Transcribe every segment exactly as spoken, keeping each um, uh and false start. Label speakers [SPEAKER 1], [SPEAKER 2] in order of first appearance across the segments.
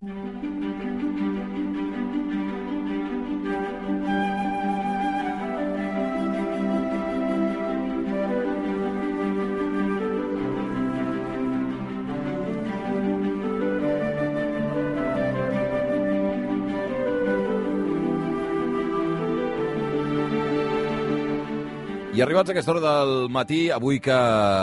[SPEAKER 1] I arribats a aquesta hora del matí, avui que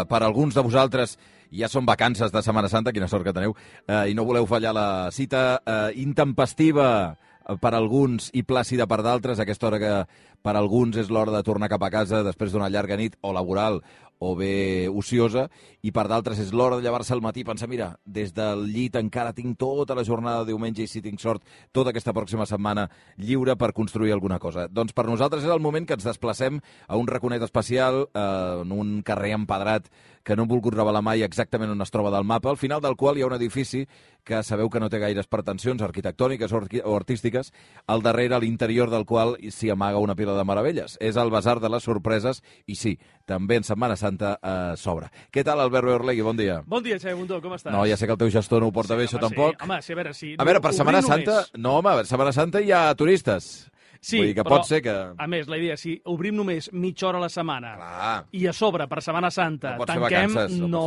[SPEAKER 1] per alguns de vosaltres ja són vacances de Setmana Santa, quina sort que teniu, eh, i no voleu fallar la cita eh, intempestiva per alguns i plàcida per d'altres, aquesta hora que per alguns és l'hora de tornar cap a casa després d'una llarga nit o laboral o bé ociosa, i per d'altres és l'hora de llevar-se al matí i pensar, mira, des del llit encara tinc tota la jornada de diumenge i, si tinc sort, tota aquesta pròxima setmana lliure per construir alguna cosa. Doncs per nosaltres és el moment que ens desplacem a un raconet especial, eh, en un carrer empedrat que no hem volgut revelar mai exactament on es troba del mapa, al final del qual hi ha un edifici que sabeu que no té gaires pretensions arquitectòniques o, o artístiques, al darrere, a l'interior del qual s'hi amaga una pila de meravelles. És el Basar de les Sorpreses i sí, també en Setmana Santa eh, s'obre. Què tal, Albert Orlegui? Bon dia.
[SPEAKER 2] Bon dia, Xavi Bundó, com estàs?
[SPEAKER 1] No, ja sé que el teu gestor no ho porta
[SPEAKER 2] sí,
[SPEAKER 1] bé, això
[SPEAKER 2] home,
[SPEAKER 1] tampoc.
[SPEAKER 2] Sí. Home, sí, a veure, si...
[SPEAKER 1] A veure, per Setmana Santa...
[SPEAKER 2] Només...
[SPEAKER 1] No, home, per Setmana Santa hi ha turistes.
[SPEAKER 2] Sí,
[SPEAKER 1] vull dir que
[SPEAKER 2] però,
[SPEAKER 1] pot ser que...
[SPEAKER 2] a més, la idea, si obrim només mitja hora a la setmana
[SPEAKER 1] Clar.
[SPEAKER 2] i a sobre, per Setmana Santa,
[SPEAKER 1] no
[SPEAKER 2] tanquem,
[SPEAKER 1] vacances, no,
[SPEAKER 2] no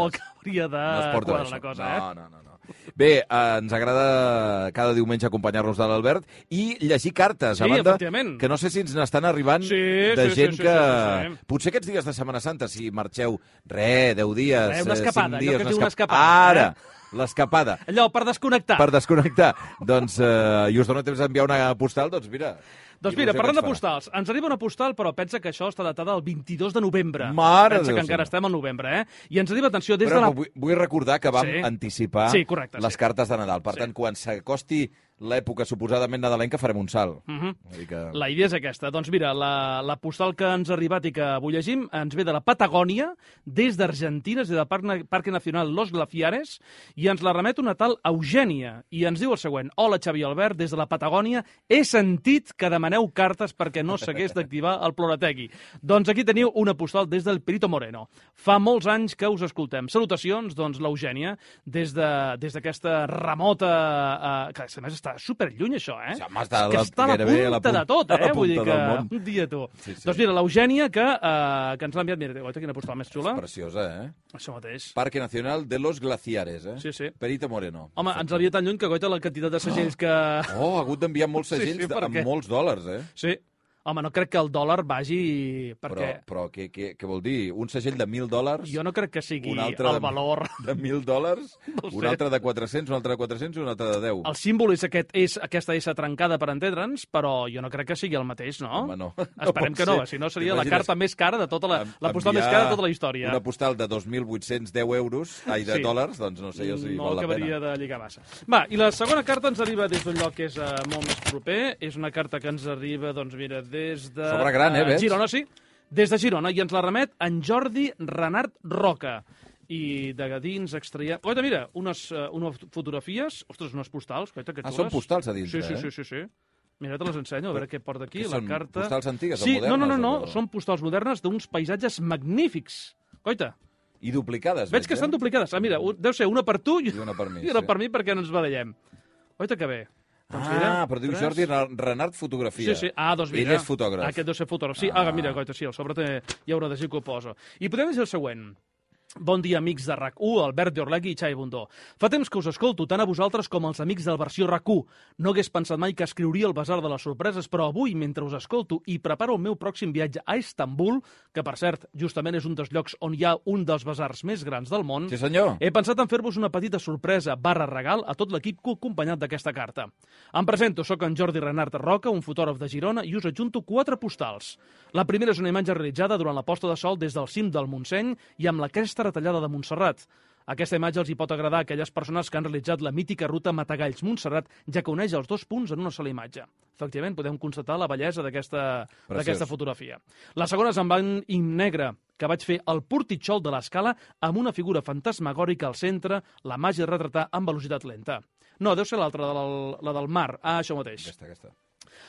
[SPEAKER 2] hauria de
[SPEAKER 1] no
[SPEAKER 2] quadrar la cosa, eh?
[SPEAKER 1] No, no, no. no. Bé, eh, ens agrada cada diumenge acompanyar-nos de l'Albert i llegir cartes,
[SPEAKER 2] sí,
[SPEAKER 1] a banda
[SPEAKER 2] efectivament.
[SPEAKER 1] que no sé si ens n'estan arribant
[SPEAKER 2] sí,
[SPEAKER 1] de
[SPEAKER 2] sí,
[SPEAKER 1] gent
[SPEAKER 2] sí, sí,
[SPEAKER 1] que...
[SPEAKER 2] Sí, sí, sí.
[SPEAKER 1] Potser aquests dies de Setmana Santa, si marxeu, re, deu dies,
[SPEAKER 2] Re, una escapada,
[SPEAKER 1] cinc dies...
[SPEAKER 2] allò que es diu
[SPEAKER 1] una
[SPEAKER 2] una escapada.
[SPEAKER 1] Ara,
[SPEAKER 2] eh?
[SPEAKER 1] l'escapada.
[SPEAKER 2] Allò, per desconnectar.
[SPEAKER 1] Per desconnectar. Doncs, eh, i us dono temps d'enviar una postal, doncs mira...
[SPEAKER 2] Doncs mira, parlant de postals, ens arriba una postal, però pensa que això està datada el vint-i-dos de novembre.
[SPEAKER 1] Mare
[SPEAKER 2] pensa
[SPEAKER 1] Déu
[SPEAKER 2] que encara
[SPEAKER 1] senyor.
[SPEAKER 2] estem al novembre, eh? I ens arriba, atenció, des
[SPEAKER 1] però,
[SPEAKER 2] de la...
[SPEAKER 1] Vull, vull recordar que vam
[SPEAKER 2] sí.
[SPEAKER 1] anticipar
[SPEAKER 2] sí, correcte,
[SPEAKER 1] les
[SPEAKER 2] sí.
[SPEAKER 1] cartes de Nadal. Per
[SPEAKER 2] sí.
[SPEAKER 1] tant, quan s'acosti l'època suposadament nadalenca farem un salt.
[SPEAKER 2] Uh -huh.
[SPEAKER 1] Vull dir que...
[SPEAKER 2] La idea és aquesta. Doncs mira, la, la postal que ens ha arribat i que avui llegim ens ve de la Patagònia, des d'Argentina, des del Parc, Parque Nacional Los Glaciares, i ens la remet una tal Eugènia. I ens diu el següent: Hola, Xavi Albert, des de la Patagònia he sentit que demaneu cartes perquè no s'hagués d'activar el Ploritegui. Doncs aquí teniu una postal des del Perito Moreno. Fa molts anys que us escoltem. Salutacions, doncs, l'Eugènia, des d'aquesta de, remota... Eh, que a més està superlluny, això, eh?
[SPEAKER 1] Sí, home, està,
[SPEAKER 2] que està a la punta, la punta de tot, eh? Vull dir que... Un dia, tu. Sí, sí. Doncs mira, l'Eugènia, que, uh, que ens l'ha enviat... Mira, guaita, quina postal més xula.
[SPEAKER 1] És preciosa, eh?
[SPEAKER 2] Això mateix.
[SPEAKER 1] Parque Nacional de los Glaciares, eh?
[SPEAKER 2] Sí, sí.
[SPEAKER 1] Perito Moreno.
[SPEAKER 2] Home, ens havia tan lluny que, guaita, la quantitat de segells que...
[SPEAKER 1] Oh, ha hagut d'enviar molts segells sí, sí, amb molts dòlars, eh?
[SPEAKER 2] Sí. Home, no crec que el dòlar vagi... Perquè...
[SPEAKER 1] Però, però què, què, què vol dir? Un segell de mil dòlars?
[SPEAKER 2] Jo no crec que sigui el
[SPEAKER 1] de,
[SPEAKER 2] valor...
[SPEAKER 1] De mil dòlars?
[SPEAKER 2] No
[SPEAKER 1] un altre de quatre-cents, un altre de quatre-cents i un altre de deu.
[SPEAKER 2] El símbol és, aquest, és aquesta S trencada, per entendre'ns, però jo no crec que sigui el mateix, no?
[SPEAKER 1] Home, no.
[SPEAKER 2] Esperem
[SPEAKER 1] no
[SPEAKER 2] que no, si no seria la carta més cara de tota la... La postal més cara de tota la història.
[SPEAKER 1] Una postal de dos mil vuit-cents deu euros, ai, de sí. dòlars, doncs no sé jo si
[SPEAKER 2] no
[SPEAKER 1] val la pena.
[SPEAKER 2] No acabaria de lligar massa. Va, i la segona carta ens arriba des d'un lloc que és uh, molt més proper. És una carta que ens arriba, doncs mira, des de...
[SPEAKER 1] Sobre gran, eh, veig?
[SPEAKER 2] Girona, sí. Des de Girona, i ens la remet en Jordi Renart Roca. I de dins extraiem... Oita, mira, unes, uh, unes fotografies, ostres, unes postals, oita, que
[SPEAKER 1] ah,
[SPEAKER 2] xules.
[SPEAKER 1] són postals a dintre,
[SPEAKER 2] sí, sí,
[SPEAKER 1] eh?
[SPEAKER 2] sí, sí, sí. Mira, te les ensenyo, a veure què porta aquí,
[SPEAKER 1] que
[SPEAKER 2] la
[SPEAKER 1] són
[SPEAKER 2] carta.
[SPEAKER 1] postals antigues
[SPEAKER 2] sí,
[SPEAKER 1] o modernes?
[SPEAKER 2] No, no, no, no,
[SPEAKER 1] o...
[SPEAKER 2] són postals modernes d'uns paisatges magnífics. Oita.
[SPEAKER 1] I duplicades,
[SPEAKER 2] veig. Veig que
[SPEAKER 1] eh?
[SPEAKER 2] estan duplicades. Ah, mira, deu ser una per tu i,
[SPEAKER 1] I una per mi,
[SPEAKER 2] i una
[SPEAKER 1] sí.
[SPEAKER 2] per mi perquè no ens barallem. Oita que bé.
[SPEAKER 1] Doncs ah, mira, però diu tres... Jordi Renart Fotografia.
[SPEAKER 2] Sí, sí. Ah, doncs mira.
[SPEAKER 1] Ell és fotògraf.
[SPEAKER 2] Aquest deu ser fotògraf. Sí, ah, ah mira, goita, sí, al sobre té... hi haurà de dir que ho poso. I podem dir el següent. Bon dia, amics de RAC u, Albert Orlegui i Xavi Bundó. Fa temps que us escolto, tant a vosaltres com als amics del versió RAC u. No hagués pensat mai que escriuria el Basar de les Sorpreses, però avui, mentre us escolto i preparo el meu pròxim viatge a Istanbul, que, per cert, justament és un dels llocs on hi ha un dels basars més grans del món,
[SPEAKER 1] sí, senyor.
[SPEAKER 2] He pensat en fer-vos una petita sorpresa barra regal a tot l'equip que ho ha acompanyat d'aquesta carta. Em presento, sóc en Jordi Renart Roca, un fotògraf de Girona, i us adjunto quatre postals. La primera és una imatge realitzada durant la posta de sol des del cim del Montseny i amb la cresta retallada de Montserrat. Aquesta imatge els hi pot agradar a aquelles persones que han realitzat la mítica ruta Matagalls-Montserrat, ja que uneix els dos punts en una sola imatge. Efectivament, podem constatar la bellesa d'aquesta fotografia. La segona és en blanc i negre, que vaig fer al Portitxol de l'Escala amb una figura fantasmagòrica al centre, la màgia de retratar amb velocitat lenta. No, deu ser l'altra, la, la del mar. Ah, això mateix.
[SPEAKER 1] Aquesta, aquesta.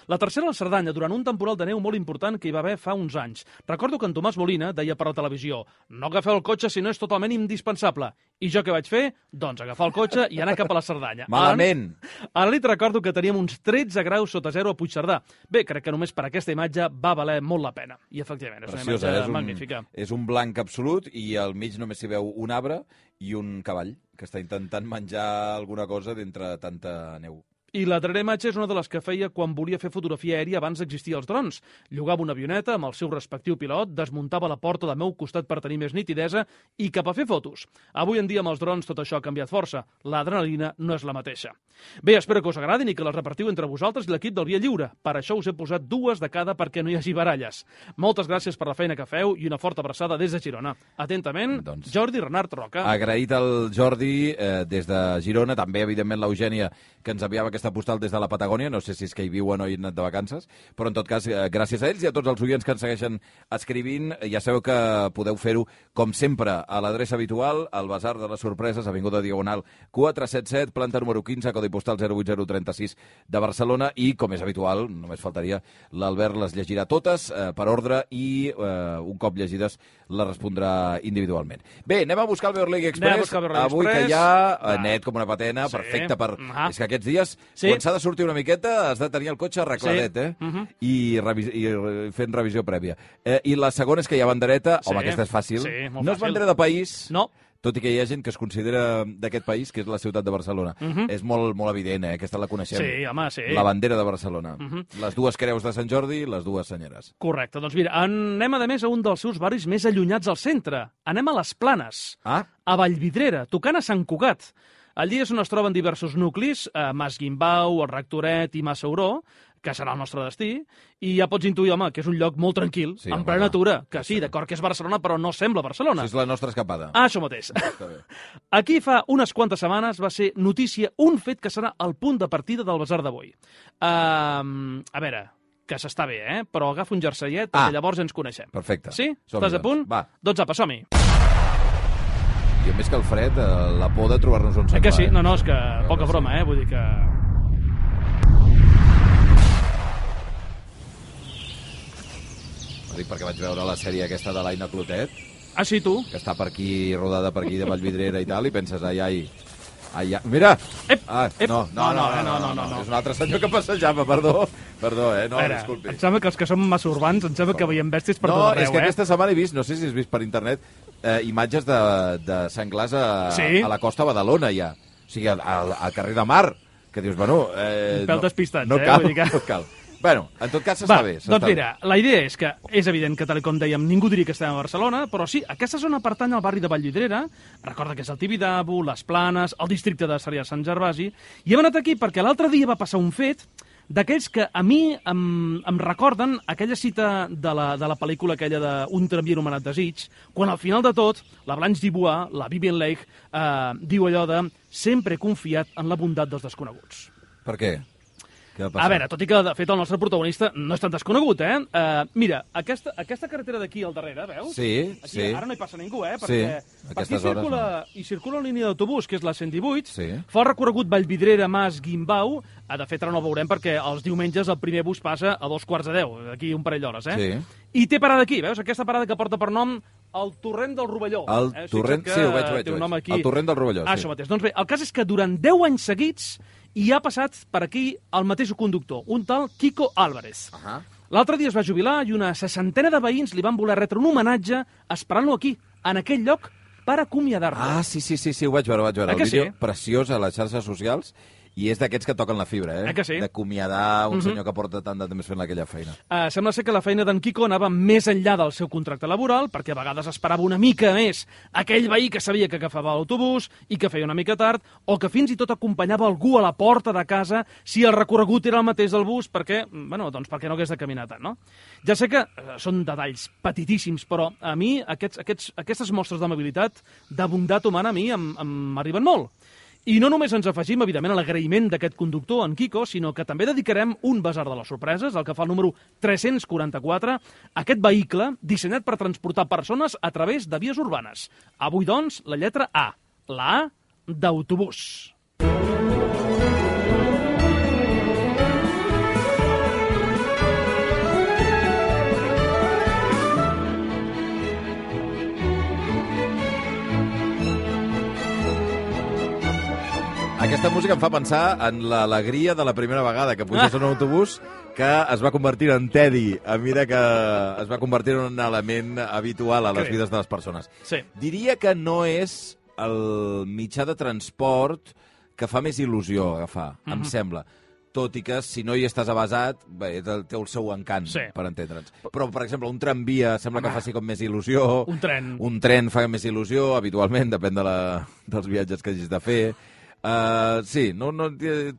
[SPEAKER 2] La tercera, la Cerdanya, durant un temporal de neu molt important que hi va haver fa uns anys. Recordo que en Tomàs Molina deia per la televisió: no agafeu el cotxe si no és totalment indispensable. I jo què vaig fer? Doncs agafar el cotxe i anar cap a la Cerdanya.
[SPEAKER 1] Malament!
[SPEAKER 2] A la nit recordo que teníem uns tretze graus sota zero a Puigcerdà. Bé, crec que només per aquesta imatge va valer molt la pena. I efectivament, és una
[SPEAKER 1] Preciosa,
[SPEAKER 2] imatge
[SPEAKER 1] és un,
[SPEAKER 2] magnífica.
[SPEAKER 1] És un blanc absolut i al mig només s'hi veu un arbre i un cavall que està intentant menjar alguna cosa d'entre tanta neu.
[SPEAKER 2] I la darrera imatge és una de les que feia quan volia fer fotografia aèria abans d'existir els drons. Llogava una avioneta amb el seu respectiu pilot, desmuntava la porta del meu costat per tenir més nitidesa i cap a fer fotos. Avui en dia amb els drons tot això ha canviat força. L'adrenalina no és la mateixa. Bé, espero que us agradin i que les repartiu entre vosaltres i l'equip del Via Lliure. Per això us he posat dues de cada perquè no hi hagi baralles. Moltes gràcies per la feina que feu i una forta abraçada des de Girona. Atentament, doncs, Jordi Renart Roca.
[SPEAKER 1] Agraït al Jordi eh, des de Girona, també evidentment l'Eugènia que ens enviava aquesta postal des de la Patagònia, no sé si és que hi viuen o hi han anat de vacances, però en tot cas, eh, gràcies a ells i a tots els oients que ens segueixen escrivint, ja sabeu que podeu fer-ho, com sempre, a l'adreça habitual, al Basar de les Sorpreses, Avinguda Diagonal quatre cents setanta set, planta número quinze, codi postal zero vuit zero tres sis de Barcelona, i, com és habitual, només faltaria, l'Albert les llegirà totes eh, per ordre i, eh, un cop llegides, les respondrà individualment. Bé, anem a buscar el Beor League Express, avui que hi ha net com una patena,
[SPEAKER 2] sí.
[SPEAKER 1] Perfecte per...
[SPEAKER 2] Ah.
[SPEAKER 1] És que aquests dies,
[SPEAKER 2] sí.
[SPEAKER 1] quan s'ha de sortir una miqueta, has de tenir el cotxe arregladet, sí. eh? Uh -huh. I, revis i fent revisió prèvia. Eh, I la segona és que hi ha bandereta, sí. home, aquesta és fàcil.
[SPEAKER 2] Sí, molt
[SPEAKER 1] no
[SPEAKER 2] fàcil.
[SPEAKER 1] És bandera de país,
[SPEAKER 2] no.
[SPEAKER 1] tot i que hi ha gent que es considera d'aquest país, que és la ciutat de Barcelona. Uh -huh. És molt, molt evident, eh? Aquesta la coneixem.
[SPEAKER 2] Sí, home, sí.
[SPEAKER 1] La bandera de Barcelona.
[SPEAKER 2] Uh -huh.
[SPEAKER 1] Les dues creus de Sant Jordi i les dues senyeres.
[SPEAKER 2] Correcte. Doncs mira, anem a més a un dels seus barris més allunyats al centre. Anem a les Planes,
[SPEAKER 1] ah?
[SPEAKER 2] a Vallvidrera, tocant a Sant Cugat. Allí és on es troben diversos nuclis, eh, Mas Guimbau, el Rectoret i Massauró, que serà el nostre destí, i ja pots intuir, home, que és un lloc molt tranquil, sí, en plena natura, que sí, d'acord que és Barcelona, però no sembla Barcelona.
[SPEAKER 1] Això és la nostra escapada.
[SPEAKER 2] Ah, això mateix. Aquí fa unes quantes setmanes va ser notícia un fet que serà el punt de partida del Basar d'avui. Uh, a veure, que s'està bé, eh? Però agafa un jerseillet, perquè ah, llavors ens coneixem.
[SPEAKER 1] Perfecte.
[SPEAKER 2] Sí? Estàs a punt?
[SPEAKER 1] Va.
[SPEAKER 2] Doncs apa, som-hi.
[SPEAKER 1] I més que el fred, la por de trobar-nos on sembla.
[SPEAKER 2] Eh que sí?
[SPEAKER 1] Eh?
[SPEAKER 2] No, no, és que poca broma, eh? Vull dir que...
[SPEAKER 1] Ho dic perquè vaig veure la sèrie aquesta de l'Aina Clotet.
[SPEAKER 2] Ah, sí, tu?
[SPEAKER 1] Que està per aquí, rodada per aquí de Vallvidrera i tal, i penses, ai, ai... ai, ai. Mira!
[SPEAKER 2] Ep,
[SPEAKER 1] ah,
[SPEAKER 2] ep.
[SPEAKER 1] No, no, no, no, no, no, no, no. És un altre senyor que passejava, perdó. Perdó, eh? No,
[SPEAKER 2] veure,
[SPEAKER 1] disculpi.
[SPEAKER 2] em sembla que els que som massa urbans, em sembla que veiem bèsties per
[SPEAKER 1] no,
[SPEAKER 2] tot arreu, eh?
[SPEAKER 1] No, és que aquesta setmana he vist, no sé si has vist per internet, eh, imatges de, de senglars a,
[SPEAKER 2] sí?
[SPEAKER 1] a la costa de Badalona, ja. O sigui, al, al carrer de Mar, que dius, bueno... Eh,
[SPEAKER 2] un pèl
[SPEAKER 1] no,
[SPEAKER 2] despistats,
[SPEAKER 1] no
[SPEAKER 2] eh?
[SPEAKER 1] Cal,
[SPEAKER 2] Vull dir que...
[SPEAKER 1] no cal. Bueno, en tot cas s'està bé.
[SPEAKER 2] Doncs
[SPEAKER 1] bé.
[SPEAKER 2] mira, la idea és que és evident que, tal com dèiem, ningú diria que estem a Barcelona, però sí, aquesta zona pertany al barri de Vallvidrera, recorda que és el Tibidabo, les Planes, el districte de Sarrià Sant Gervasi, i hem anat aquí perquè l'altre dia va passar un fet d'aquells que a mi em, em recorden aquella cita de la, de la pel·lícula aquella d'un tramvia anomenat Desig, quan al final de tot la Blanche Dubois, la Vivien Leigh, eh, diu allò de sempre he confiat en la bondat dels desconeguts.
[SPEAKER 1] Per què?
[SPEAKER 2] A veure, tot i que, de fet, el nostre protagonista no és tan desconegut, eh? Uh, mira, aquesta, aquesta carretera d'aquí al darrere, veus?
[SPEAKER 1] Sí,
[SPEAKER 2] aquí,
[SPEAKER 1] sí.
[SPEAKER 2] Ara no hi passa ningú, eh?
[SPEAKER 1] Sí,
[SPEAKER 2] perquè per aquí circula,
[SPEAKER 1] hores, no.
[SPEAKER 2] i circula la línia d'autobús, que és la cent divuit,
[SPEAKER 1] sí.
[SPEAKER 2] Fa el recorregut Vallvidrera, Mas, Guimbau, ah, de fet ara no el veurem perquè els diumenges el primer bus passa a dos quarts de deu, d'aquí un parell d'hores, eh?
[SPEAKER 1] Sí.
[SPEAKER 2] I té parada aquí, veus? Aquesta parada que porta per nom el Torrent del Rovelló.
[SPEAKER 1] El
[SPEAKER 2] eh?
[SPEAKER 1] torrent, sí, ho veig, ho veig.
[SPEAKER 2] Té un nom aquí.
[SPEAKER 1] El Torrent del Rovelló,
[SPEAKER 2] ah,
[SPEAKER 1] sí.
[SPEAKER 2] Això mateix. Doncs bé, el cas és que durant deu anys seguits hi ha passat per aquí el mateix conductor, un tal Kiko Álvarez.
[SPEAKER 1] Uh -huh.
[SPEAKER 2] L'altre dia es va jubilar i una seixantena de veïns li van voler retre un homenatge esperant-lo aquí, en aquell lloc, per acomiadar-lo.
[SPEAKER 1] Ah, sí, sí, sí, sí, ho vaig veure, ho vaig veure.
[SPEAKER 2] Eh
[SPEAKER 1] el vídeo
[SPEAKER 2] sí?
[SPEAKER 1] preciós a les xarxes socials, i és d'aquests que toquen la fibra, eh?
[SPEAKER 2] Eh que sí?
[SPEAKER 1] D'acomiadar un
[SPEAKER 2] uh -huh.
[SPEAKER 1] senyor que porta tant de temps fent aquella feina.
[SPEAKER 2] Uh, sembla ser que la feina d'en Kiko anava més enllà del seu contracte laboral, perquè a vegades esperava una mica més aquell veí que sabia que agafava l'autobús i que feia una mica tard, o que fins i tot acompanyava algú a la porta de casa si el recorregut era el mateix del bus, perquè, bueno, doncs perquè no hagués de caminar tant, no? Ja sé que uh, són detalls petitíssims, però a mi aquests, aquests, aquestes mostres d'amabilitat, de bondat humana, a mi m'arriben molt. I no només ens afegim, evidentment, a l'agraïment d'aquest conductor, en Kiko, sinó que també dedicarem un Basar de les Sorpreses, el que fa el número tres-cents quaranta-quatre, a aquest vehicle dissenyat per transportar persones a través de vies urbanes. Avui, doncs, la lletra A, la A d'autobús.
[SPEAKER 1] música em fa pensar en l'alegria de la primera vegada que puges a un autobús que es va convertir en tedi a mesura que es va convertir en un element habitual a les vides de les persones.
[SPEAKER 2] Sí.
[SPEAKER 1] Diria que no és el mitjà de transport que fa més il·lusió agafar, mm-hmm. em sembla. Tot i que, si no hi estàs avasat, bé, té el seu encant, sí. per entendre'ns. Però, per exemple, un tramvia sembla que faci com més il·lusió.
[SPEAKER 2] Un tren.
[SPEAKER 1] Un tren fa més il·lusió, habitualment, depèn de la, dels viatges que hagis de fer. Uh, sí, no, no,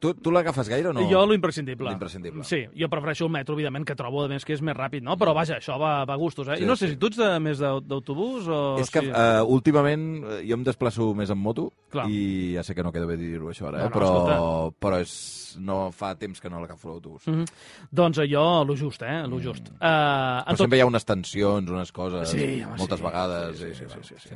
[SPEAKER 1] tu, tu l'agafes gaire o no?
[SPEAKER 2] Jo l'imprescindible.
[SPEAKER 1] L'imprescindible.
[SPEAKER 2] Sí, jo prefereixo el metro, evidentment, que trobo a més que és més ràpid, no? Però vaja, això va, va a gustos, eh?
[SPEAKER 1] Sí,
[SPEAKER 2] I no sé
[SPEAKER 1] sí.
[SPEAKER 2] si tu ets de, més d'autobús o...
[SPEAKER 1] És que
[SPEAKER 2] sí.
[SPEAKER 1] uh, últimament jo em desplaço més en moto.
[SPEAKER 2] Clar.
[SPEAKER 1] I ja sé que no queda bé dir-ho això ara, eh?
[SPEAKER 2] No, no,
[SPEAKER 1] però,
[SPEAKER 2] escolta.
[SPEAKER 1] però és, no fa temps que no l'agafo l'autobús.
[SPEAKER 2] Mm -hmm. Doncs jo, lo just, eh? Lo just. Mm. Uh,
[SPEAKER 1] però tot... sempre hi ha unes tensions, unes coses,
[SPEAKER 2] sí, home,
[SPEAKER 1] moltes
[SPEAKER 2] sí.
[SPEAKER 1] vegades.
[SPEAKER 2] Sí, sí,
[SPEAKER 1] i,
[SPEAKER 2] sí, sí, sí, sí.
[SPEAKER 1] sí.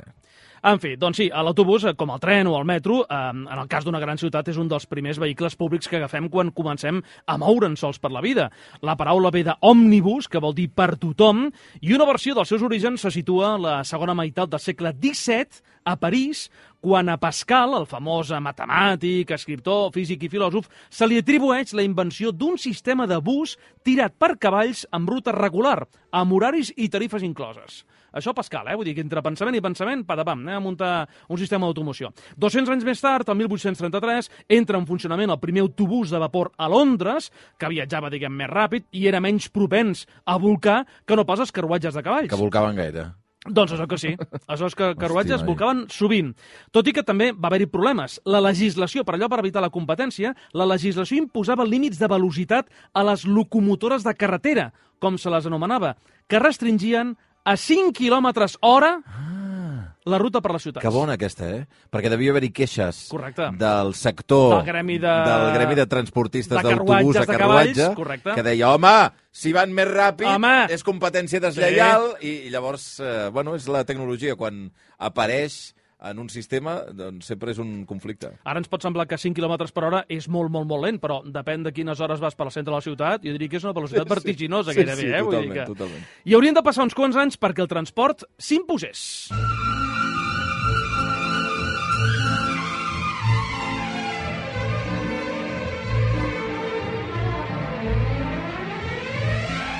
[SPEAKER 2] En fi, doncs sí, l'autobús, com el tren o el metro, eh, en el cas d'una gran ciutat, és un dels primers vehicles públics que agafem quan comencem a moure'ns sols per la vida. La paraula ve d'òmnibus, que vol dir per tothom, i una versió dels seus orígens se situa a la segona meitat del segle disset, a París, quan a Pascal, el famós matemàtic, escriptor, físic i filòsof, se li atribueix la invenció d'un sistema de bus tirat per cavalls amb ruta regular, amb horaris i tarifes incloses. Això Pascal, eh? Vull dir que entre pensament i pensament, patapam, anem a muntar un sistema d'automoció. dos-cents anys més tard, el mil vuit-cents trenta-tres, entra en funcionament el primer autobús de vapor a Londres, que viatjava, diguem, més ràpid i era menys propens a volcar que no pas els carruatges de cavalls.
[SPEAKER 1] Que volcaven gaire.
[SPEAKER 2] Doncs això que sí. Això és que carruatges Hòstia, volcaven sovint. Tot i que també va haver-hi problemes. La legislació, per allò per evitar la competència, la legislació imposava límits de velocitat a les locomotores de carretera, com se les anomenava, que restringien a cinc quilòmetres hora ah, la ruta per les ciutats.
[SPEAKER 1] Que bona aquesta, eh? Perquè devia haver-hi queixes
[SPEAKER 2] correcte.
[SPEAKER 1] Del sector
[SPEAKER 2] del gremi de,
[SPEAKER 1] del gremi de transportistes
[SPEAKER 2] de
[SPEAKER 1] d'autobús a carruatge,
[SPEAKER 2] correcte.
[SPEAKER 1] Que deia, home, si van més ràpid
[SPEAKER 2] home. És
[SPEAKER 1] competència deslleial, sí. i, i llavors, eh, bueno, és la tecnologia. Quan apareix en un sistema, doncs sempre és un conflicte.
[SPEAKER 2] Ara ens pot semblar que cinc quilòmetres per hora és molt, molt, molt lent, però depèn de quines hores vas per al centre de la ciutat, jo diria que és una velocitat sí, vertiginosa,
[SPEAKER 1] sí,
[SPEAKER 2] gairebé.
[SPEAKER 1] Sí, sí,
[SPEAKER 2] eh?
[SPEAKER 1] totalment,
[SPEAKER 2] Vull dir que...
[SPEAKER 1] totalment.
[SPEAKER 2] I haurien de passar uns quants anys perquè el transport s'imposés.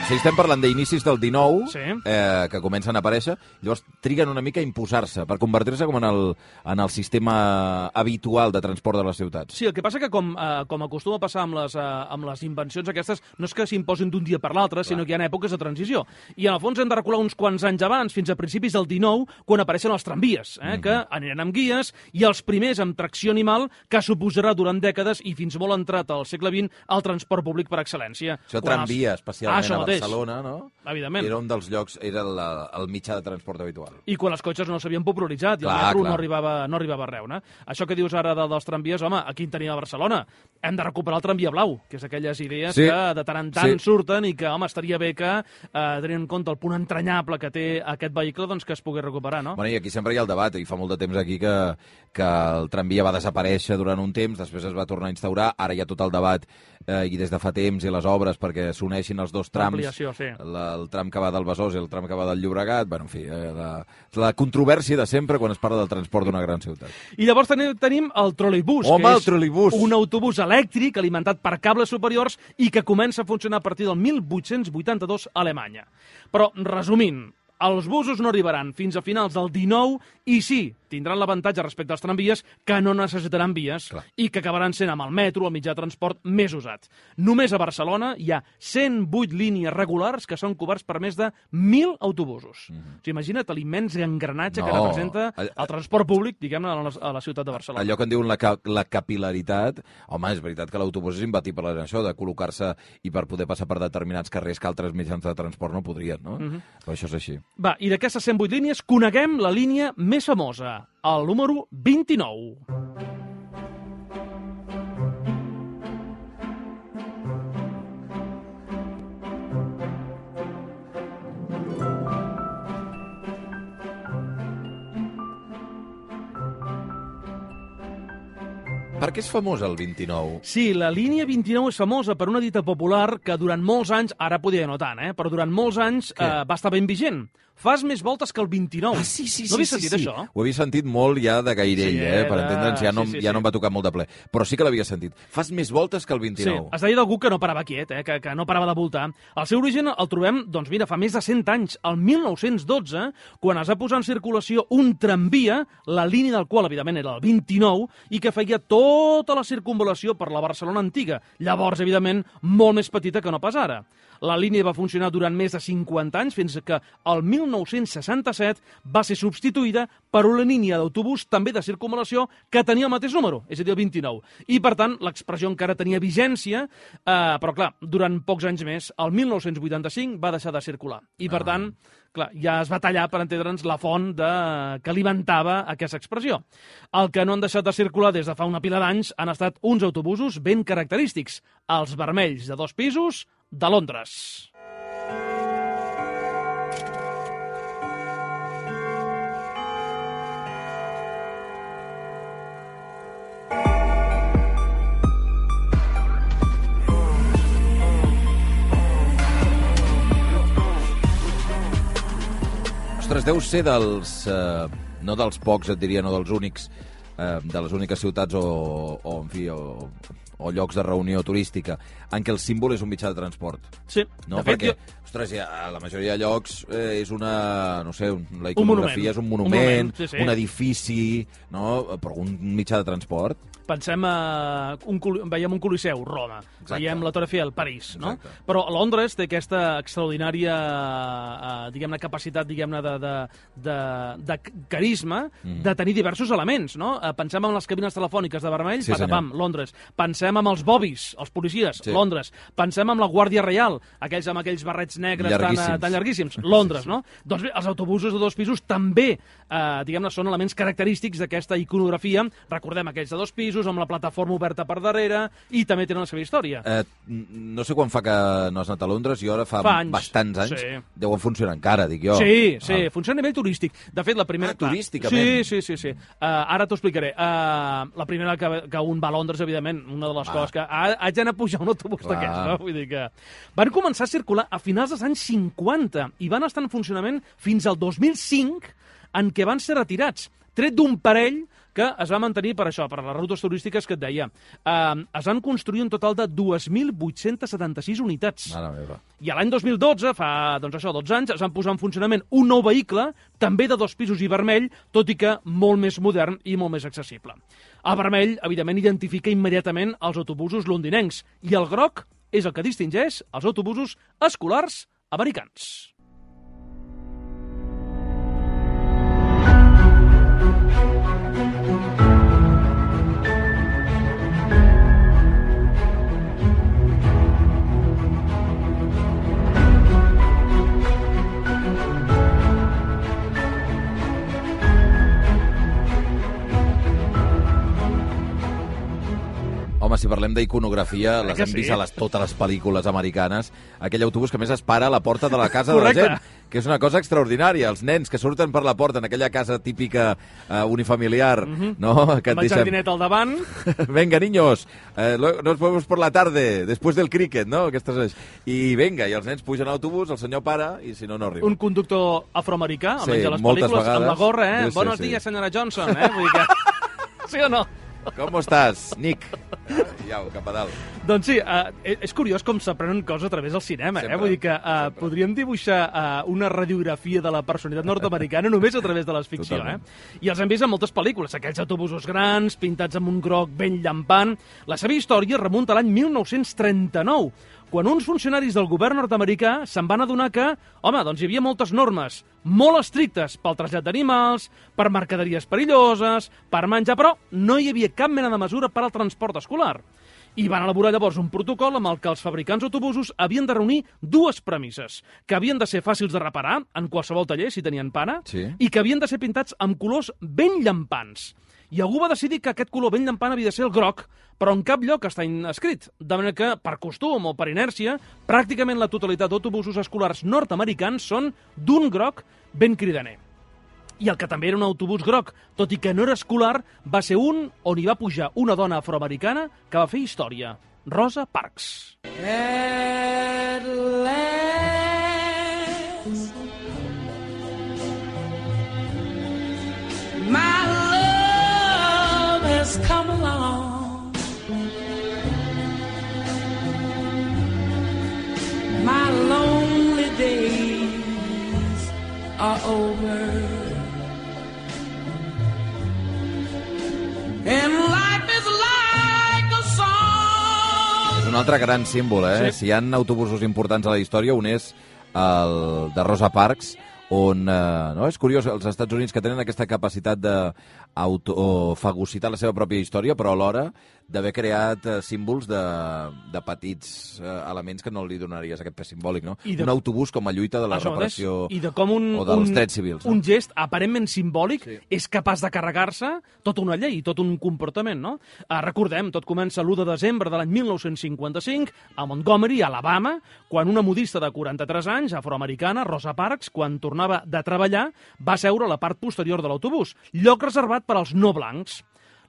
[SPEAKER 1] Si estem parlant d'inicis del dinou,
[SPEAKER 2] sí.
[SPEAKER 1] eh, que comencen a aparèixer, llavors triguen una mica a imposar-se, per convertir-se com en el, en el sistema habitual de transport de les ciutats.
[SPEAKER 2] Sí, el que passa que, com, eh, com acostuma a passar amb les, eh, amb les invencions aquestes, no és que s'imposin d'un dia per l'altre, sinó que hi ha èpoques de transició. I, en el fons, hem de recular uns quants anys abans, fins a principis del dinou, quan apareixen els tramvies, eh, mm-hmm. que aniran amb guies, i els primers amb tracció animal, que suposarà durant dècades, i fins molt entrat al segle vint, el transport públic per excel·lència.
[SPEAKER 1] Això tramvia, els... especialment ah, a Barcelona, no?
[SPEAKER 2] Evidentment.
[SPEAKER 1] Era un dels llocs, era la, el mitjà de transport habitual.
[SPEAKER 2] I quan els cotxes no s'havien popularitzat i clar, el metro no arribava, no arribava a Reus. Això que dius ara de, dels tramvies, home, aquí en tenim a Barcelona. Hem de recuperar el tramvia blau, que és aquelles idees sí. que de tant en tant sí. surten i que, home, estaria bé que, eh, tenint en compte el punt entranyable que té aquest vehicle, doncs que es pugui recuperar, no?
[SPEAKER 1] Bueno, i aquí sempre hi ha el debat, i fa molt de temps aquí que, que el tramvia va desaparèixer durant un temps, després es va tornar a instaurar, ara hi ha tot el debat eh, i des de fa temps i les obres perquè s'uneixin els dos trams,
[SPEAKER 2] sí.
[SPEAKER 1] la, el tram que va del Besòs i el tram que va del Llobregat, bueno, en fi, eh, la, la controvèrsia de sempre quan es parla del transport d'una gran ciutat.
[SPEAKER 2] I llavors tenim, tenim el troleibús,
[SPEAKER 1] Home,
[SPEAKER 2] que
[SPEAKER 1] és el troleibús.
[SPEAKER 2] un autobús elèctric alimentat per cables superiors i que comença a funcionar a partir del mil vuit-cents vuitanta-dos a Alemanya. Però, resumint, els busos no arribaran fins a finals del dinou i sí, tindran l'avantatge respecte als tramvies que no necessitaran vies Clar. I que acabaran sent amb el metro, el mitjà de transport més usat. Només a Barcelona hi ha cent vuit línies regulars que són coberts per més de mil autobusos. Mm -hmm. O sigui, imagina't l'immens engranatge no. que representa el transport públic, diguem-ne, a, a la ciutat de Barcelona.
[SPEAKER 1] Allò que en diuen la, la capilaritat, home, és veritat que l'autobús és imbatible en això, de col·locar-se i per poder passar per determinats carrers que altres mitjans de transport no podrien, no? Mm -hmm. Però això és així.
[SPEAKER 2] Va, i d'aquestes cent vuit línies coneguem la línia més famosa, el número vint-i-nou.
[SPEAKER 1] Per què és famosa el vint-i-nou?
[SPEAKER 2] Sí, la línia vint-i-nou és famosa per una dita popular que durant molts anys, ara podia no tant, eh, però durant molts anys eh, va estar ben vigent. fas més voltes que el vint-i-nou.
[SPEAKER 1] Ah, sí, sí,
[SPEAKER 2] no havies
[SPEAKER 1] sí,
[SPEAKER 2] sentit
[SPEAKER 1] sí.
[SPEAKER 2] això?
[SPEAKER 1] Ho havia sentit molt ja de gairell,
[SPEAKER 2] Sí,
[SPEAKER 1] eh? Per
[SPEAKER 2] de-
[SPEAKER 1] entendre'ns, ja, no,
[SPEAKER 2] sí, sí,
[SPEAKER 1] ja
[SPEAKER 2] sí.
[SPEAKER 1] no em va tocar molt de ple. Però sí que l'havia sentit. Fas més voltes que el vint-i-nou.
[SPEAKER 2] Sí, es deia d'algú que no parava quiet, eh? que, que no parava de voltar. El seu origen el trobem, doncs mira, fa més de cent anys, el mil nou-cents dotze, quan es va posar en circulació un tramvia, la línia del qual, evidentment, era el vint-i-nou, i que feia tota la circunvalació per la Barcelona antiga. Llavors, evidentment, molt més petita que no pas ara. La línia va funcionar durant més de cinquanta anys, fins que el mil nou-cents seixanta-set va ser substituïda per una línia d'autobús també de circunvalació que tenia el mateix número, és a dir, el vint-i-nou. I, per tant, l'expressió encara tenia vigència, eh, però, clar, durant pocs anys més, el mil nou-cents vuitanta-cinc va deixar de circular. I, per tant, clar, ja es va tallar, per entendre'ns, la font de... que alimentava aquesta expressió. El que no han deixat de circular des de fa una pila d'anys han estat uns autobusos ben característics, els vermells de dos pisos de Londres.
[SPEAKER 1] Ostres, deu ser dels... Eh, no dels pocs, et diria, no dels únics, eh, de les úniques ciutats o, o en fi, o, o llocs de reunió turística en què el símbol és un mitjà de transport.
[SPEAKER 2] Sí,
[SPEAKER 1] no?
[SPEAKER 2] de fet,
[SPEAKER 1] Perquè,
[SPEAKER 2] jo...
[SPEAKER 1] ostres, ja, a la majoria de llocs eh, és una, no sé, un, la
[SPEAKER 2] Un monument.
[SPEAKER 1] iconografia és un
[SPEAKER 2] Un
[SPEAKER 1] monument, un,
[SPEAKER 2] monument, sí, sí.
[SPEAKER 1] un edifici, no? Però un mitjà de transport...
[SPEAKER 2] Pensem, a un, col- veiem un Coliseu, Roma,
[SPEAKER 1] Exacte.
[SPEAKER 2] veiem la Torre Eiffel, París, no?
[SPEAKER 1] Exacte.
[SPEAKER 2] Però Londres té aquesta extraordinària, eh, diguem-ne, capacitat, diguem-ne, de, de, de, de carisma, mm. de tenir diversos elements, no? Eh, Pensem en les cabines telefòniques de vermell,
[SPEAKER 1] Sí,
[SPEAKER 2] patapam, Londres. Pensem en els bobis, els policies,
[SPEAKER 1] Sí.
[SPEAKER 2] Londres. Pensem en la Guàrdia Reial, aquells amb aquells barrets negres tan,
[SPEAKER 1] Llarguíssims.
[SPEAKER 2] eh, tan llarguíssims, Londres, no? Doncs bé, els autobusos de dos pisos també, eh, diguem-ne, són elements característics d'aquesta iconografia. Recordem aquells de dos pisos, amb la plataforma oberta per darrere, i també tenen la seva història.
[SPEAKER 1] Eh, no sé quan fa que no has anat a Londres, jo ara fa,
[SPEAKER 2] Fa anys,
[SPEAKER 1] bastants anys,
[SPEAKER 2] sí.
[SPEAKER 1] deuen funcionar encara, dic jo.
[SPEAKER 2] Sí, sí,
[SPEAKER 1] Ah.
[SPEAKER 2] funciona a nivell turístic. De fet, la primera...
[SPEAKER 1] Ah,
[SPEAKER 2] clar,
[SPEAKER 1] turísticament.
[SPEAKER 2] Sí, sí, sí. sí. Uh, ara t'ho explicaré. Uh, la primera que, que un va a Londres, evidentment, una de les
[SPEAKER 1] Ah.
[SPEAKER 2] coses que ha, haig d'anar a pujar un autobús
[SPEAKER 1] Clar.
[SPEAKER 2] d'aquests, no? Vull dir que... Van començar a circular a finals dels anys cinquanta i van estar en funcionament fins al dos mil cinc, en què van ser retirats, tret d'un parell que es va mantenir per això, per les rutes turístiques que et deia. Uh, es van construir un total de dos mil vuit-cents setanta-sis unitats.
[SPEAKER 1] Mare meva.
[SPEAKER 2] I l'any dos mil dotze, fa doncs això, dotze anys, es van posar en funcionament un nou vehicle, també de dos pisos i vermell, tot i que molt més modern i molt més accessible. El vermell, evidentment, identifica immediatament els autobusos londinencs, i el groc és el que distingeix els autobusos escolars americans.
[SPEAKER 1] Home, si parlem d'iconografia, les
[SPEAKER 2] que
[SPEAKER 1] hem vist
[SPEAKER 2] sí?
[SPEAKER 1] a les, totes les pel·lícules americanes. Aquell autobús que a més es para a la porta de la casa
[SPEAKER 2] Correcte.
[SPEAKER 1] de la gent, que és una cosa extraordinària. Els nens que surten per la porta en aquella casa típica uh, unifamiliar,
[SPEAKER 2] Mhm.
[SPEAKER 1] no? Que et
[SPEAKER 2] Amb el
[SPEAKER 1] deixen...
[SPEAKER 2] jardinet al davant.
[SPEAKER 1] Venga, niños, eh, lo- nos vemos por la tarde, después del cricket, no? Aquestes... I venga, i els nens pugen a l'autobús, el senyor para, i si no, no arriba.
[SPEAKER 2] Un conductor afroamericà,
[SPEAKER 1] Sí,
[SPEAKER 2] almenys a les
[SPEAKER 1] moltes
[SPEAKER 2] pel·lícules, amb la
[SPEAKER 1] vegades.
[SPEAKER 2] gorra, eh?
[SPEAKER 1] Sí, sí,
[SPEAKER 2] Buenos
[SPEAKER 1] sí.
[SPEAKER 2] días, senyora Johnson, eh? Vull dir que... Sí o no?
[SPEAKER 1] Com estàs, Nick? Ah, Iau, cap a dalt.
[SPEAKER 2] Doncs sí, uh, és curiós com s'aprenen coses a través del cinema,
[SPEAKER 1] Sempre,
[SPEAKER 2] eh? Vull dir que uh,
[SPEAKER 1] sempre.
[SPEAKER 2] podríem dibuixar uh, una radiografia de la personalitat nord-americana només a través de la ficció,
[SPEAKER 1] Totalment.
[SPEAKER 2] eh? I els hem vist en moltes pel·lícules, aquells autobusos grans, pintats amb un groc ben llampant. La seva història remunta a l'any mil nou-cents trenta-nou, quan uns funcionaris del govern nord-americà se'n van adonar que, home, doncs hi havia moltes normes molt estrictes pel trasllat d'animals, per mercaderies perilloses, per menjar, però no hi havia cap mena de mesura per al transport escolar. I van elaborar llavors un protocol amb el que els fabricants d'autobusos havien de reunir dues premisses, que havien de ser fàcils de reparar en qualsevol taller, si tenien pana,
[SPEAKER 1] Sí.
[SPEAKER 2] i que havien de ser pintats amb colors ben llampants. I algú va decidir que aquest color ben llampant havia de ser el groc, però en cap lloc està escrit. De manera que, per costum o per inèrcia, pràcticament la totalitat d'autobusos escolars nord-americans són d'un groc ben cridaner. I el que també era un autobús groc, tot i que no era escolar, va ser un on hi va pujar una dona afroamericana que va fer història, Rosa Parks.
[SPEAKER 3] At last, has come along. My lonely days are over. And life is like a song.
[SPEAKER 1] És un altre gran símbol, eh?
[SPEAKER 2] Sí.
[SPEAKER 1] Si hi ha autobusos importants a la història, un és el de Rosa Parks, on, eh, no? És curiós, els Estats Units que tenen aquesta capacitat d'autofagocitar la seva pròpia història, però alhora d'haver creat eh, símbols de, de petits eh, elements que no li donaries aquest pes simbòlic, no?
[SPEAKER 2] I de-
[SPEAKER 1] Un autobús com a lluita de la
[SPEAKER 2] Això mateix.
[SPEAKER 1] reparació
[SPEAKER 2] I de com un,
[SPEAKER 1] o dels
[SPEAKER 2] un,
[SPEAKER 1] drets civils. No?
[SPEAKER 2] un gest aparentment simbòlic
[SPEAKER 1] Sí.
[SPEAKER 2] és capaç de carregar-se tota una llei, tot un comportament, no? Uh, recordem, tot comença l'u de desembre de l'any mil nou-cents cinquanta-cinc a Montgomery, Alabama, quan una modista de quaranta-tres anys, afroamericana, Rosa Parks, quan tornava de treballar, va seure a la part posterior de l'autobús, lloc reservat per als no blancs.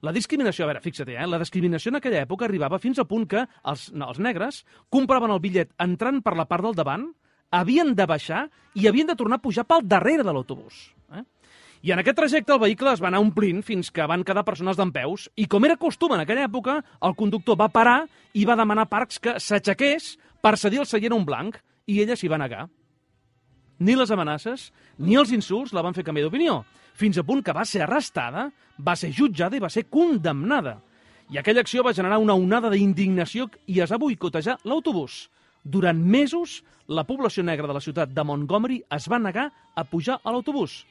[SPEAKER 2] La discriminació, a veure, fixa't, eh? La discriminació en aquella època arribava fins a punt que els, no, els negres compraven el bitllet entrant per la part del davant, havien de baixar i havien de tornar a pujar pel darrere de l'autobús. Eh? I en aquest trajecte el vehicle es va anar omplint fins que van quedar persones dempeus i, com era costum en aquella època, el conductor va parar i va demanar a Parks que s'aixequés per cedir el seient a un blanc i ella s'hi va negar. Ni les amenaces ni els insults la van fer canviar d'opinió, fins a punt que va ser arrestada, va ser jutjada i va ser condemnada. I aquella acció va generar una onada d'indignació i es va boicotejar l'autobús. Durant mesos, la població negra de la ciutat de Montgomery es va negar a pujar a l'autobús.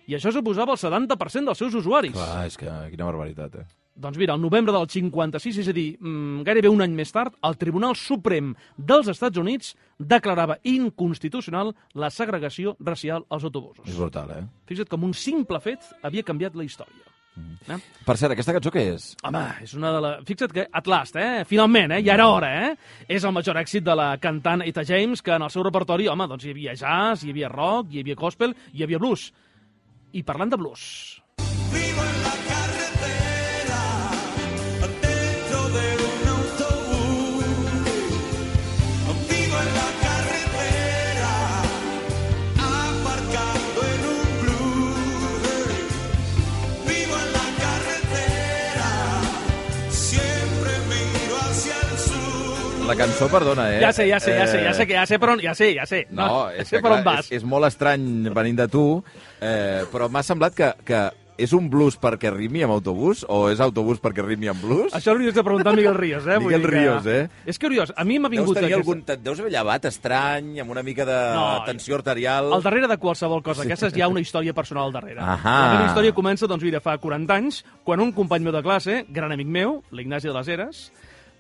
[SPEAKER 2] I això suposava el setanta per cent dels seus usuaris.
[SPEAKER 1] Clar, és que quina barbaritat, eh?
[SPEAKER 2] Doncs mira, el novembre del cinquanta-sis, és a dir, mmm, gairebé un any més tard, el Tribunal Suprem dels Estats Units declarava inconstitucional la segregació racial als autobusos.
[SPEAKER 1] És brutal, eh?
[SPEAKER 2] Fixa't com un simple fet havia canviat la història. Mm. Eh?
[SPEAKER 1] Per cert, aquesta cançó què és?
[SPEAKER 2] Home, és una de la... Fixa't que At Last, eh? Finalment, eh? Ja era hora, eh? És el major èxit de la cantant Etta James, que en el seu repertori, home, doncs hi havia jazz, hi havia rock, hi havia gospel, hi havia blues. I parlant de blues...
[SPEAKER 4] Vivo en la carretera, dentro de un autobús. Vivo en la carretera, aparcado en un blues. Vivo en la carretera, siempre miro hacia el sur.
[SPEAKER 1] La cançó, perdona, eh?
[SPEAKER 2] Ja sé, ja sé, ja sé, ja sé, que ja sé per on... Ja sé, ja sé.
[SPEAKER 1] No, és
[SPEAKER 2] sé
[SPEAKER 1] que,
[SPEAKER 2] per on
[SPEAKER 1] clar,
[SPEAKER 2] vas.
[SPEAKER 1] és, és molt estrany venint de tu, eh, però m'ha semblat que, que és un blues perquè rimi amb autobús o és autobús perquè rimi amb blues?
[SPEAKER 2] Això l'hauries de preguntar a Miguel Ríos, eh? Vull
[SPEAKER 1] Miguel
[SPEAKER 2] dir que-
[SPEAKER 1] Ríos, eh?
[SPEAKER 2] És curiós, a mi m'ha
[SPEAKER 1] Deus
[SPEAKER 2] vingut...
[SPEAKER 1] tenir
[SPEAKER 2] aquesta-
[SPEAKER 1] algun... Te't deus haver llevat estrany, amb una mica de
[SPEAKER 2] No,
[SPEAKER 1] tensió arterial...
[SPEAKER 2] Al darrere de qualsevol cosa d'aquestes hi ha una història personal al darrere.
[SPEAKER 1] Ahà.
[SPEAKER 2] La meva història comença, doncs, mira, fa quaranta anys, quan un company meu de classe, gran amic meu, l'Ignasi de les Heres,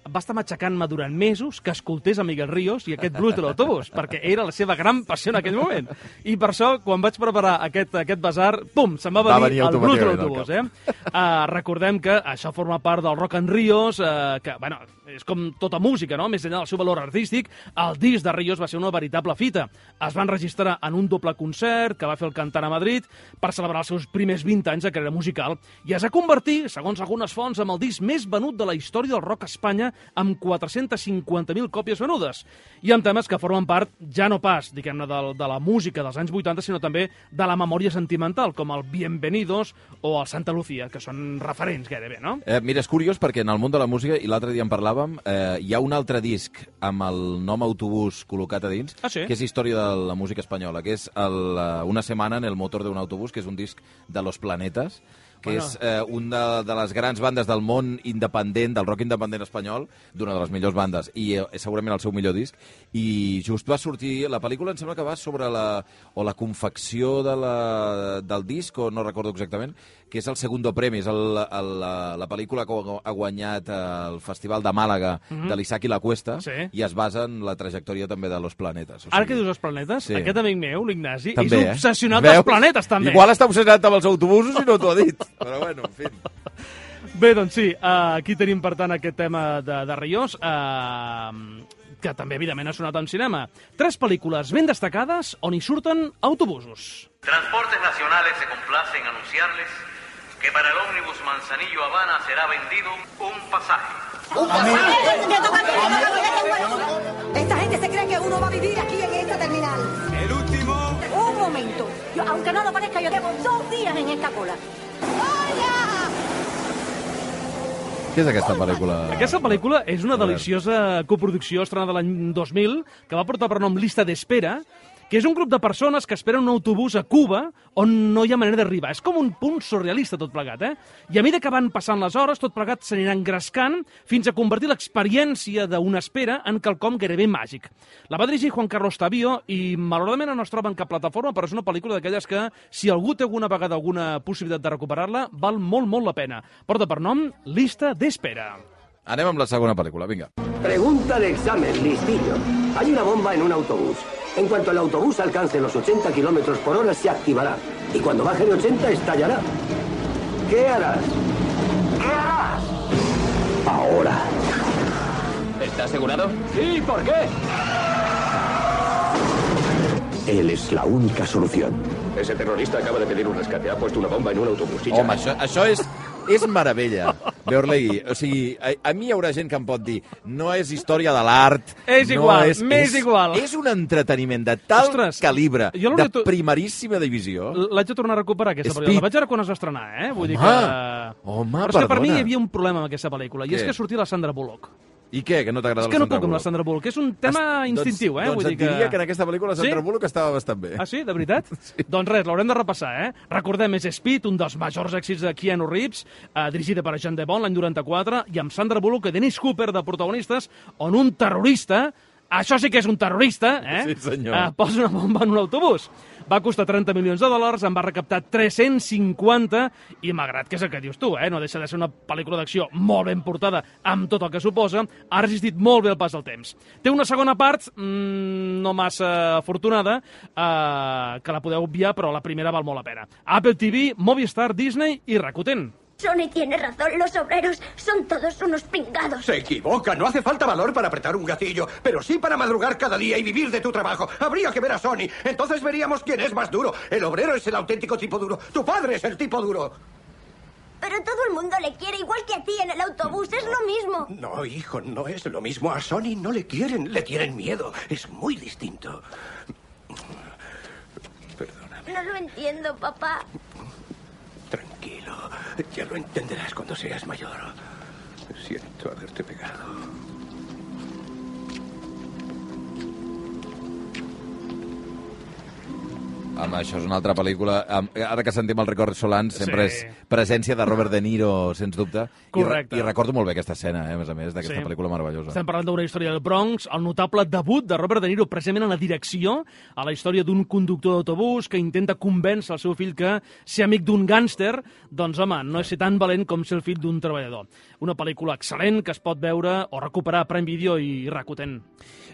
[SPEAKER 2] va estar matxacant-me durant mesos que escoltés a Miguel Ríos i aquest blues de l'autobús, perquè era la seva gran passió en aquell moment. I per això, quan vaig preparar aquest, aquest basar, pum, se'm va
[SPEAKER 1] Va
[SPEAKER 2] venir
[SPEAKER 1] venir
[SPEAKER 2] el blues de
[SPEAKER 1] automàticament
[SPEAKER 2] l'autobús. Eh? Uh, recordem que això forma part del Rock and Ríos, uh, que, bueno, és com tota música, no? Més enllà del seu valor artístic, el disc de Ríos va ser una veritable fita. Es van registrar en un doble concert que va fer el cantant a Madrid per celebrar els seus primers vint anys de carrera musical i es va convertir, segons algunes fonts, en el disc més venut de la història del rock a Espanya amb quatre-cents cinquanta mil còpies venudes i amb temes que formen part, ja no pas, diguem-ne, de, de la música dels anys vuitanta, sinó també de la memòria sentimental, com el Bienvenidos o el Santa Lucía, que són referents gairebé, no?
[SPEAKER 1] Eh, mira, és curiós perquè en el món de la música, i l'altre dia en parlàvem, eh, hi ha un altre disc amb el nom autobús col·locat a dins,
[SPEAKER 2] Ah, sí?
[SPEAKER 1] que és història de la música espanyola, que és el, eh, Una setmana en el motor d'un autobús, que és un disc de Los Planetas, que
[SPEAKER 2] Bueno.
[SPEAKER 1] és eh, una de, de les grans bandes del món independent, del rock independent espanyol, d'una de les millors bandes, i eh, segurament el seu millor disc, i just va sortir, la pel·lícula em sembla que va sobre la, o la confecció de la, del disc, o no recordo exactament, que és el Segundo Premi, és el, el, la, la pel·lícula que ha guanyat el Festival de Màlaga
[SPEAKER 2] Mhm.
[SPEAKER 1] de l'Isaac i la Cuesta,
[SPEAKER 2] Sí.
[SPEAKER 1] i es basa en la trajectòria també de Los Planetas. O
[SPEAKER 2] Ara que dius els planetes,
[SPEAKER 1] Sí.
[SPEAKER 2] aquest amic meu, l'Ignasi, és
[SPEAKER 1] També, eh?
[SPEAKER 2] obsessionat
[SPEAKER 1] Veus?
[SPEAKER 2] dels planetes, també.
[SPEAKER 1] Igual està obsessionat amb els autobusos i no t'ho ha dit. Però bueno, en fi.
[SPEAKER 2] Bé, doncs sí, uh, aquí tenim, per tant, aquest tema de, de Ríos, uh, que també, evidentment, ha sonat en cinema. Tres pel·lícules ben destacades on hi surten autobusos.
[SPEAKER 5] Transportes Nacionales se complace en anunciarles que para el ómnibus Manzanillo Habana será vendido un pasaje.
[SPEAKER 6] Esta gente se cree que uno va a vivir aquí en esta terminal.
[SPEAKER 4] El último.
[SPEAKER 6] Un momento. Yo, aunque no lo parezca, yo llevo dos días en esta cola. ¡Oiga!
[SPEAKER 1] Què és aquesta pel·lícula?
[SPEAKER 2] Aquesta pel·lícula és una deliciosa coproducció estrenada l'any dos mil que va portar per nom Lista d'Espera, que és un grup de persones que esperen un autobús a Cuba on no hi ha manera d'arribar. És com un punt surrealista tot plegat, eh? I a mesura que van passant les hores, tot plegat s'anirà engrescant fins a convertir l'experiència d'una espera en quelcom gairebé màgic. La va dirigir Juan Carlos Tavío i malauradament no es troba en cap plataforma, però és una pel·lícula d'aquelles que, si algú té alguna vegada alguna possibilitat de recuperar-la, val molt, molt la pena. Porta per nom Lista d'Espera.
[SPEAKER 1] Anem amb la segona pel·lícula, vinga.
[SPEAKER 7] Pregunta de examen, listillo. Hay una bomba en un autobús. En cuanto el autobús alcance los ochenta kilómetros por hora, se activará. Y cuando baje de ochenta, estallará. ¿Qué harás? ¿Qué harás? Ahora.
[SPEAKER 8] ¿Está asegurado?
[SPEAKER 7] Sí, ¿por qué? Él es la única solución.
[SPEAKER 8] Ese terrorista acaba de pedir un rescate. Ha puesto una bomba en un autobús.
[SPEAKER 1] Home, això, això és, és meravella. Beorlegui, o sigui, a, a mi hi haurà gent que em pot dir no és història de l'art...
[SPEAKER 2] És
[SPEAKER 1] no
[SPEAKER 2] igual,
[SPEAKER 1] és,
[SPEAKER 2] m'és
[SPEAKER 1] és,
[SPEAKER 2] igual.
[SPEAKER 1] És un entreteniment de tal
[SPEAKER 2] Ostres,
[SPEAKER 1] calibre,
[SPEAKER 2] jo
[SPEAKER 1] de
[SPEAKER 2] to...
[SPEAKER 1] primeríssima divisió.
[SPEAKER 2] L'haig de tornar a recuperar, aquesta
[SPEAKER 1] Speed.
[SPEAKER 2] pel·lícula. La vaig veure quan es va estrenar, eh? Vull dir
[SPEAKER 1] Home,
[SPEAKER 2] que...
[SPEAKER 1] home,
[SPEAKER 2] Però és que per mi
[SPEAKER 1] perdona.
[SPEAKER 2] hi havia un problema amb aquesta pel·lícula, i
[SPEAKER 1] Què?
[SPEAKER 2] és que sortia la Sandra Bullock.
[SPEAKER 1] I què, que no t'agrada
[SPEAKER 2] És que
[SPEAKER 1] la
[SPEAKER 2] no
[SPEAKER 1] Sandra
[SPEAKER 2] puc amb la
[SPEAKER 1] Bullock?
[SPEAKER 2] Sandra Bullock, és un tema
[SPEAKER 1] Es-
[SPEAKER 2] instintiu, eh?
[SPEAKER 1] Doncs,
[SPEAKER 2] Vull
[SPEAKER 1] doncs
[SPEAKER 2] dir
[SPEAKER 1] et
[SPEAKER 2] que...
[SPEAKER 1] diria que en aquesta pel·lícula la Sandra
[SPEAKER 2] Sí?
[SPEAKER 1] Bullock estava bastant bé.
[SPEAKER 2] Ah, sí? De veritat? Sí. Doncs res, l'haurem de repassar, eh? Recordem, és Speed, un dels majors èxits de Keanu Reeves, eh, dirigida per Jean de Bond l'any noranta-quatre, i amb Sandra Bullock i Dennis Cooper de protagonistes, on un terrorista, això sí que és un terrorista, eh?
[SPEAKER 1] Sí, senyor.
[SPEAKER 2] Eh, posa una bomba en un autobús. Va costar trenta milions de dòlars, en va recaptar tres-cents cinquanta, i malgrat que és el que dius tu, eh? No deixa de ser una pel·lícula d'acció molt ben portada, amb tot el que suposa, ha resistit molt bé el pas del temps. Té una segona part, mmm, no massa afortunada, eh, que la podeu obviar, però la primera val molt la pena. Apple T V, Movistar, Disney i Rakuten.
[SPEAKER 9] Sony tiene razón, los obreros son todos unos pringados.
[SPEAKER 7] Se equivoca, no hace falta valor para apretar un gatillo, pero sí para madrugar cada día y vivir de tu trabajo. Habría que ver a Sony, entonces veríamos quién es más duro. El obrero es el auténtico tipo duro, tu padre es el tipo duro.
[SPEAKER 9] Pero todo el mundo le quiere igual que a ti en el autobús, es lo mismo.
[SPEAKER 7] No, hijo, no es lo mismo. A Sony no le quieren, le tienen miedo. Es muy distinto. Perdóname.
[SPEAKER 9] No lo entiendo, papá.
[SPEAKER 7] Tranquilo, ya lo entenderás cuando seas mayor. Siento haberte pegado.
[SPEAKER 1] Home, això és una altra pel·lícula. Am- Ara que sentim el Record Solans, sempre
[SPEAKER 2] Sí.
[SPEAKER 1] és presència de Robert De Niro, sens dubte.
[SPEAKER 2] Correcte.
[SPEAKER 1] I, re- I recordo molt bé aquesta escena, eh, a més a més, d'aquesta
[SPEAKER 2] Sí.
[SPEAKER 1] pel·lícula meravellosa.
[SPEAKER 2] Estem parlant d'una història del Bronx, el notable debut de Robert De Niro precisament en la direcció, a la història d'un conductor d'autobús que intenta convèncer el seu fill que ser amic d'un gàngster, doncs home, no és ser tan valent com ser el fill d'un treballador. Una pel·lícula excel·lent que es pot veure o recuperar a Prime Video i Rakuten.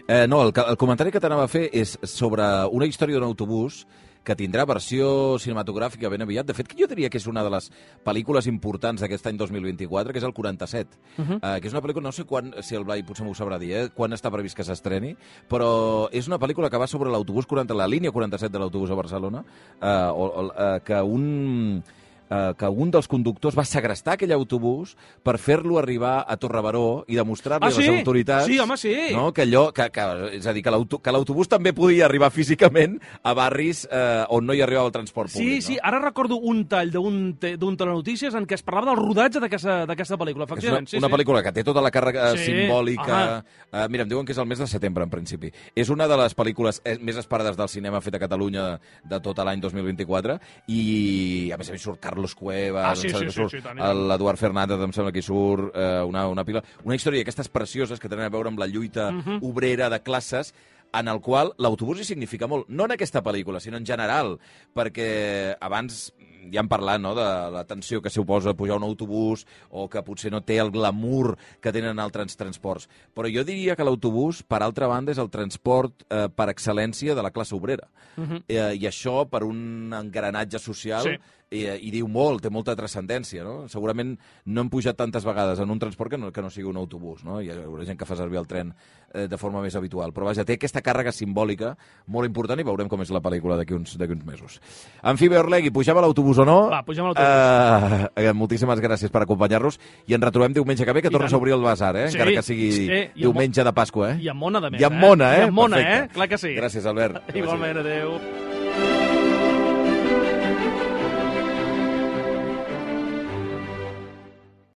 [SPEAKER 1] Eh, no, el, ca- el comentari que t'anava a fer és sobre una història d'un autobús que tindrà versió cinematogràfica ben aviat. De fet, que jo diria que és una de les pel·lícules importants d'aquest any dos mil vint-i-quatre, que és el quaranta-set, uh -huh. eh, que és una pel·lícula, no sé quan, si el Blai potser m'ho sabrà dir, eh, quan està previst que s'estreni, però és una pel·lícula que va sobre l'autobús quaranta, la línia quaranta-set de l'autobús a Barcelona, eh, o, o, eh, que un... eh, que un dels conductors va segrestar aquell autobús per fer-lo arribar a Torrebaró i demostrar-li
[SPEAKER 2] Ah,
[SPEAKER 1] a les
[SPEAKER 2] sí?
[SPEAKER 1] autoritats
[SPEAKER 2] Sí, home, sí.
[SPEAKER 1] no, que allò, que, que, és a dir, que l'auto- que l'autobús també podia arribar físicament a barris eh, on no hi arribava el transport
[SPEAKER 2] Sí,
[SPEAKER 1] públic.
[SPEAKER 2] sí,
[SPEAKER 1] no?
[SPEAKER 2] ara recordo un tall d'un te- d'un telenotícies en què es parlava del rodatge d'aquesta d'aquesta pel·lícula,
[SPEAKER 1] És una,
[SPEAKER 2] efectivament. Sí,
[SPEAKER 1] una
[SPEAKER 2] sí.
[SPEAKER 1] pel·lícula que té tota la càrrega
[SPEAKER 2] Sí,
[SPEAKER 1] simbòlica. Uh, mira, em diuen que és el mes de setembre, en principi. És una de les pel·lícules eh, més esperades del cinema fet a Catalunya de, de tot l'any dos mil vint-i-quatre, i a més a més surt Carlos Cuevas,
[SPEAKER 2] Ah, sí,
[SPEAKER 1] em sembla
[SPEAKER 2] sí,
[SPEAKER 1] que
[SPEAKER 2] sí,
[SPEAKER 1] surt
[SPEAKER 2] sí, tant, i tant.
[SPEAKER 1] l'Eduard Fernández, em sembla que hi surt eh, una, una pila. Una història d'aquestes precioses que tenen a veure amb la lluita
[SPEAKER 2] Mhm.
[SPEAKER 1] obrera de classes, en el qual l'autobús hi significa molt, no en aquesta pel·lícula, sinó en general, perquè abans ja hem parlat, no?, de la tensió que suposa pujar un autobús o que potser no té el glamour que tenen altres transports. Però jo diria que l'autobús, per altra banda, és el transport eh, per excel·lència de la classe obrera.
[SPEAKER 2] Mhm.
[SPEAKER 1] eh, I això, per un engranatge social,
[SPEAKER 2] Sí.
[SPEAKER 1] i, i diu molt, té molta transcendència, no? Segurament no hem pujat tantes vegades en un transport que no, que no sigui un autobús, no? Hi haurà gent que fa servir el tren eh, de forma més habitual, però vaja, té aquesta càrrega simbòlica molt important i veurem com és la pel·lícula d'aquí uns, d'aquí uns mesos. En fi, Beorlegui, pugem a l'autobús o no?
[SPEAKER 2] Va, pugem a l'autobús.
[SPEAKER 1] Uh, uh, moltíssimes gràcies per acompanyar-nos i ens retrobem diumenge que ve, que
[SPEAKER 2] I
[SPEAKER 1] tornes
[SPEAKER 2] tant.
[SPEAKER 1] a obrir el basar, eh?
[SPEAKER 2] Sí,
[SPEAKER 1] Encara que sigui
[SPEAKER 2] sí, i amb
[SPEAKER 1] diumenge de Pasqua, eh?
[SPEAKER 2] I amb mona, de més,
[SPEAKER 1] I amb
[SPEAKER 2] eh?
[SPEAKER 1] mona, eh?
[SPEAKER 2] I amb mona,
[SPEAKER 1] Perfecte.
[SPEAKER 2] eh? Clar que sí.
[SPEAKER 1] Gràcies, Albert.
[SPEAKER 2] Igualment, adéu.